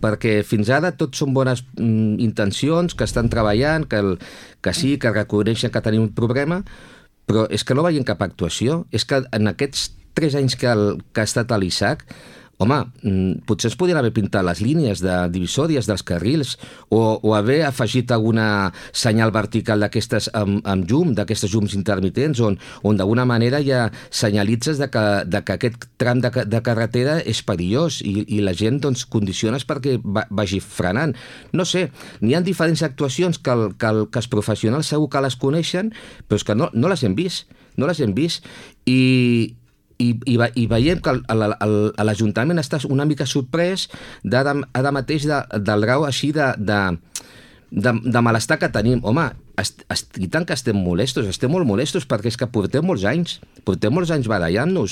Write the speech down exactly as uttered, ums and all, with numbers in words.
perquè fins ara tot són bones mm, intencions, que estan treballant, que, el, que sí, que reconeixen que tenim un problema, però és que no veiem cap actuació. És que en aquests tres anys que, el, que ha estat a l'I S A C, home, potser es podrien haver pintat les línies de divisòries dels carrils o, o haver afegit alguna senyal vertical d'aquestes amb, amb llum, d'aquestes llums intermitents, on, on d'alguna manera ja senyalitzes de que, de que aquest tram de, de carretera és perillós i, i la gent doncs, condiciones perquè va, vagi frenant. No sé, n'hi ha diferents actuacions que, el, que, el, que els professionals segur que les coneixen, però és que no, no les hem vist, no les hem vist i... I, i, i veiem que l'Ajuntament està una mica sorprès d'ara ara mateix de, del grau així de, de, de, de malestar que tenim. Home, est, est, i tant que estem molestos, estem molt molestos perquè és que portem molts anys, portem molts anys barallant-nos